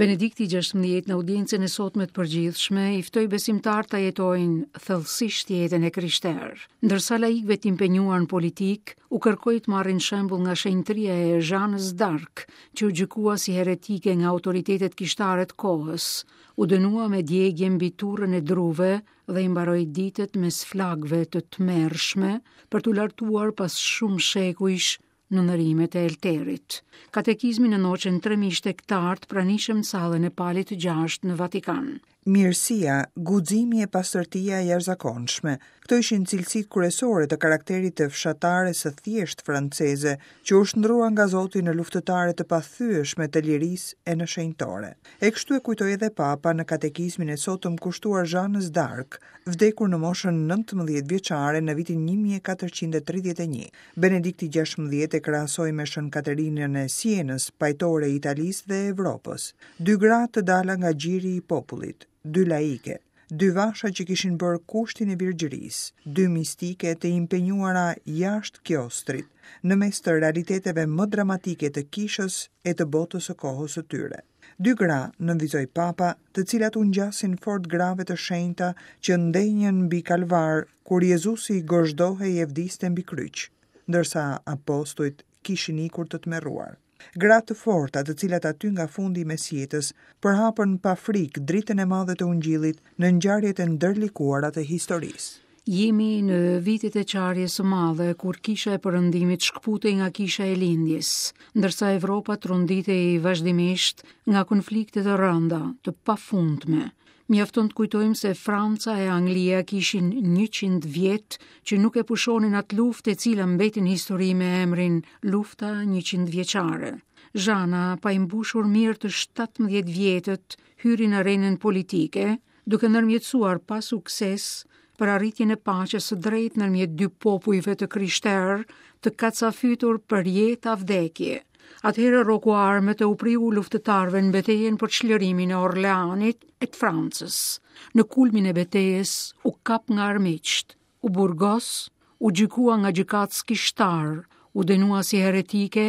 Benedikti 16 në audiencën e sotme të përgjithshme i ftoi besimtarët ta jetojnë thellësisht jetën e krishterë, ndërsa laikëve të impenjuar në politikë u kërkoi të marrin shembull nga shenjtëria e Zhanës d'Ark, që u gjykua si heretike nga autoritetet kishtare të kohës, u dënua me djegie mbi turrën e druve dhe i mbaroi ditët mes flakëve të tmerrshme për t'u lartuar pas shumë shekujsh në ndërrimet e Elterit. Katekizmin e ndoqën 3000 shtegtarë të pranishëm në sallën e Palit të Gjashtë në Vatikan. Mirësia, guximi e pastërtia e jashtëzakonshme, këto ishin cilësitë kryesore të karakterit të fshatares së thjeshtë franceze, që u shndërrua nga Zoti në luftëtare të pathyeshme të lirisë e në shenjtore. E kështu e kujtoi edhe Papa në katekizmin e sotëm kushtuar Zhanës d'Ark, vdekur në moshën 19 vjeçare në vitin 1431. Benedikti 16 e krahasoi me Shën Katerinën e Sienës, pajtore e Italisë dhe Evropës. Dy gra të dala nga gjiri i popullit, dy laike, dy vasha që kishin bërë kushtin e virgjërisë, dy mistike të impenjuara jashtë kiostrit, në mes të realiteteve më dramatike të kishës e të botës së kohës së tyre. Dy gra, nënvizoi Papa, të cilat u ngjasin fort grave të shenjta që ndenjën mbi Kalvar kur Jezusi gozhdohej e vdiste mbi kryq, ndërsa apostujt kishin ikur të tmerruar. Gra të forta, të cilat aty nga fundi i mesjetës përhapën pa frikë dritën e madhe të Ungjillit në ngjarjet e ndërlikuara të historisë. Jemi në vitet e çarjes së madhe, kur kisha e perëndimit shkëputej nga kisha e lindjes, ndërsa Evropa tronditej vazhdimisht nga konflikte të rënda, të pafundme. Mjafton të kujtojmë se Franca e Anglia kishin 100 vjet që nuk e pushonin atë luftë e cila mbeti në histori me emrin Lufta 100 vjeçare. Zhana, pa i mbushur mirë të 17 vjetët, hyri në arenën politike, duke ndërmjetësuar pa sukses për arritjen e paqes së drejtë ndërmjet dy popujve të krishterë të kacafytur për jetë a vdekje. Atëherë rroku armët e u priu luftëtarëve në betejën për çlirimin e Orleanit e të Francës. Në kulmin e betejës u kap nga armiqtë, u burgos, u gjykua nga gjykatës kishtarë, u dënua si heretike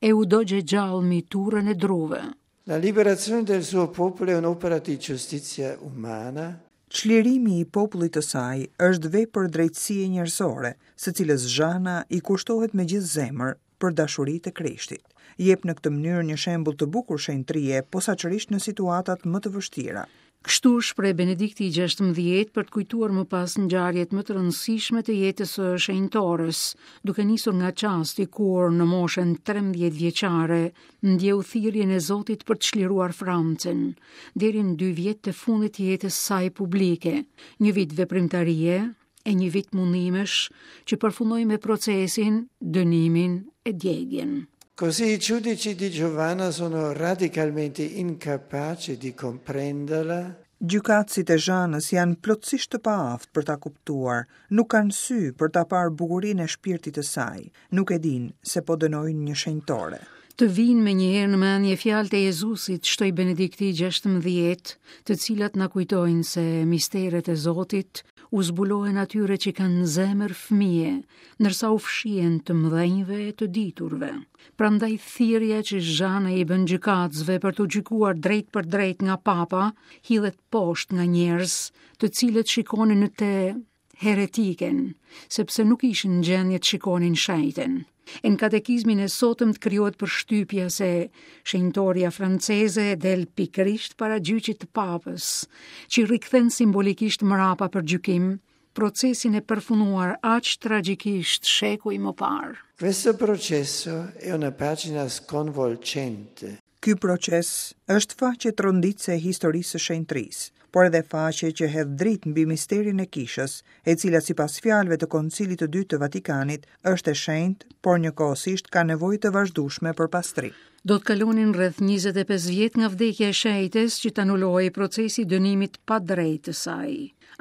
e u dogj e gjallë mbi turrën e druve. La liberazione del suo popolo è un'opera di giustizia umana. Çlirimi i popullit të saj është vepër drejtësie njerëzore, së cilës Zhana i kushtohet me gjithë zemër për dashuri të Krishtit. Jep në këtë mënyrë një shembull të bukur shenjtërie, posaçërisht në situatat më të vështira. Kështu u shpreh Benedikti i 16 për të kujtuar më pas ngjarjet më të rëndësishme të jetës së shenjtores, duke nisur nga çasti kur në moshën 13 vjeçare ndjeu thirrjen e Zotit për të çliruar Francën, deri në dy vjet të fundit të jetës së saj publike, një vit veprimtarie e një vit mundimesh që përfundoi me procesin, dënimin e djegien. Così i giudici di Giovanna sono radicalmente incapaci di comprenderla. Gjykatësit e Zhanës janë plotësisht të paaftë për ta kuptuar, nuk kanë sy për ta parë bukurinë e shpirtit të saj, nuk e dinë se po dënojnë një shenjtore. Të vijnë menjëherë në mendje fjalët e Jezusit, shtoi Benedikti i 16, të cilat na kujtojnë se misteret e Zotit u zbulohen atyre që kanë zemër fëmije, ndërsa u fshihen të mëdhenjve e të diturve. Prandaj thirrja që Zhana i bën gjykatësve për t'u gjykuar drejtpërdrejt nga Papa, hidhet poshtë nga njerëz, të cilët shikonin në të heretiken, sepse nuk ishin në gjendje të shikonin shenjten. E në katekizmin e sotëm të krijohet përshtypja se shenjtorja franceze del pikërisht para gjyqit të papës, që rikthen simbolikisht mrapa për gjykim, procesin e përfunduar aq tragjikisht shekuj më parë. Questo processo è una pagina sconvolgente. Ky proces është faqe tronditëse e historisë së shenjtërisë, por edhe faqe që hedh dritë mbi misterin e Kishës, e cila sipas fjalëve të Koncilit të Dytë të Vatikanit është e shenjtë, por njëkohësisht ka nevojë të vazhdueshme për pastrim. Do të kalonin rreth 25 vjet nga vdekja e shenjtes që të anulohej procesi i dënimit të padrejtë të saj.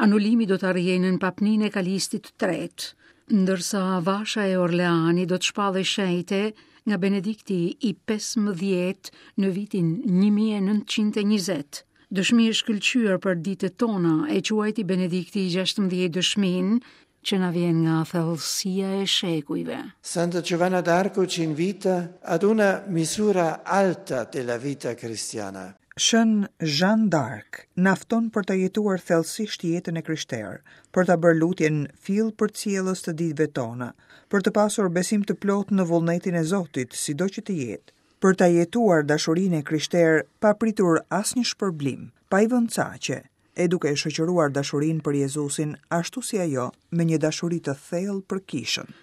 Anulimi do të arrihej nën papninë e Kalistit të Tretë, ndërsa vasha e Orleanit do të shpallej shenjte nga Benedikti i 15 në vitin 1920. Dëshmi e shkëlqyer për ditët tona e quajti Benedikti i 16 dëshminë që na vjen nga thellësia e shekujve. Santa Giovanna d'Arco ci invita ad una misura alta della vita cristiana. Shën Zhan d'Ark na fton për ta jetuar thellësisht jetën e krishterë, për ta bërë lutjen fill përcjellës të ditëve tona, për të pasur besim të plotë në vullnetin e Zotit, sido që të jetë, për ta jetuar dashurinë e krishterë pa pritur asnjë shpërblim, pa i vënë caqe, e duke e shoqëruar dashurinë për Jezusin ashtu si ajo me një dashuri të thellë për kishën.